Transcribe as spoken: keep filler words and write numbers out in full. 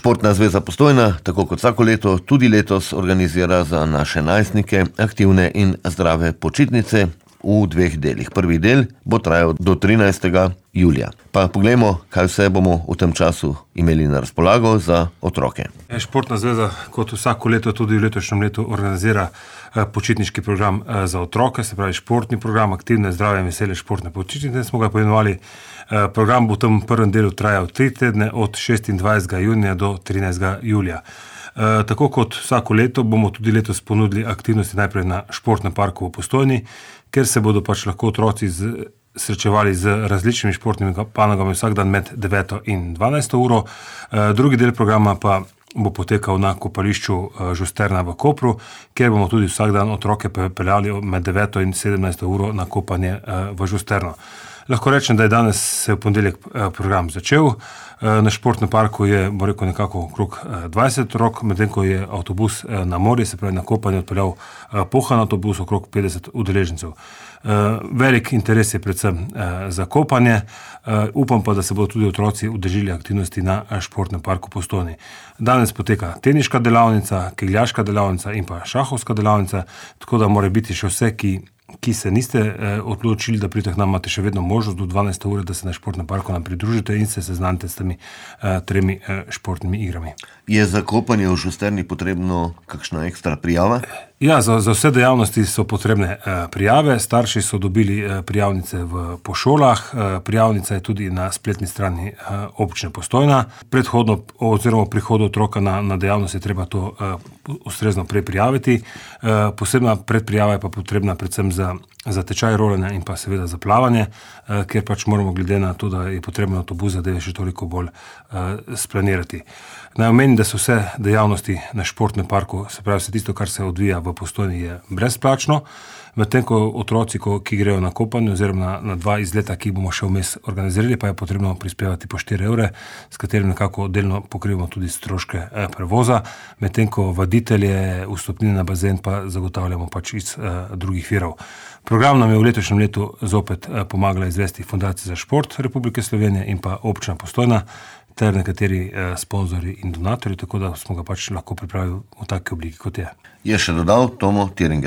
Športna zveza Postojna, tako kot vsako leto, tudi letos organizira za naše najstnike aktivne in zdrave počitnice v dveh delih. Prvi del bo trajal do trinajstega julija. Pa poglejmo, kaj vse bomo v tem času imeli na razpolago za otroke. Športna zveza kot vsako leto tudi v letošnjem letu organizira počitniški program za otroke, se pravi športni program, aktivne, zdrave in vesele športne počitnice smo ga poimenovali. Program bo v tem prvem delu trajal tri tedne od šestindvajsetega junija do trinajstega julija. Tako kot vsako leto bomo tudi letos ponudili aktivnosti najprej na športnem parku v Postojni, ker se bodo pač lahko otroci z, srečevali z različnimi športnimi panogami vsak dan med deveto in dvanajsto uro. Drugi del programa pa bo potekal na kopališču Žusterna v Kopru, kjer bomo tudi vsak dan otroke peljali med deveto in sedemnajsto uro na kopanje v Žusterno. Lahko rečem, da je danes se v ponedeljek program začel. Na športnem parku je, bo rekel, nekako okrog dvajset otrok, medtem ko je avtobus na morje, se pravi na kopanje, odpeljal pohan avtobus, okrog petdeset udeležencev. Velik interes je predvsem za kopanje. Upam pa, da se bodo tudi otroci udeležili aktivnosti na športnem parku Postojni. Danes poteka teniška delavnica, kegljaška delavnica in pa šahovska delavnica, tako da mora biti še vse, ki ki se niste eh, odločili, da pridete k nam, imate še vedno možnost do dvanajste ure, da se na športnem parku nam pridružite in se seznanite s temi eh, tremi eh, športnimi igrami. Je za kopanje v Žusterni potrebno kakšna ekstra prijava? Ja, za, za vse dejavnosti so potrebne eh, prijave. Starši so dobili eh, prijavnice v, po šolah. Eh, prijavnica je tudi na spletni strani eh, občine Postojna. Predhodno oziroma prihodu otroka na, na dejavnost je treba to eh, ustrezno preprijaviti. Eh, posebna predprijava je pa potrebna predvsem za, za tečaj rolanja in pa seveda za plavanje, eh, ker pač moramo glede na to, da je potrebno avtobus zadeve še toliko bolj eh, splanirati. Naj omenim, da so vse dejavnosti na športnem parku, se pravi vse tisto, kar se odvija v Postojni, je brezplačno, medtem ko otroci, ko, ki grejo na kopanje oziroma na, na dva izleta, ki bomo še vmes organizirali, pa je potrebno prispevati po štiri evre, s katerim nekako delno pokrivamo tudi stroške eh, prevoza, medtem ko vaditelje, vstopnine na bazen pa zagotavljamo pač iz eh, drugih virov. Program nam je v letošnjem letu zopet eh, pomagala izvesti Fundacija za šport Republike Slovenije in pa občina Postojna ter nekateri eh, sponzorji in donatorji, tako da smo ga pač lahko pripravili v taki obliki, kot je. Je še dodal Tomo Tiringer.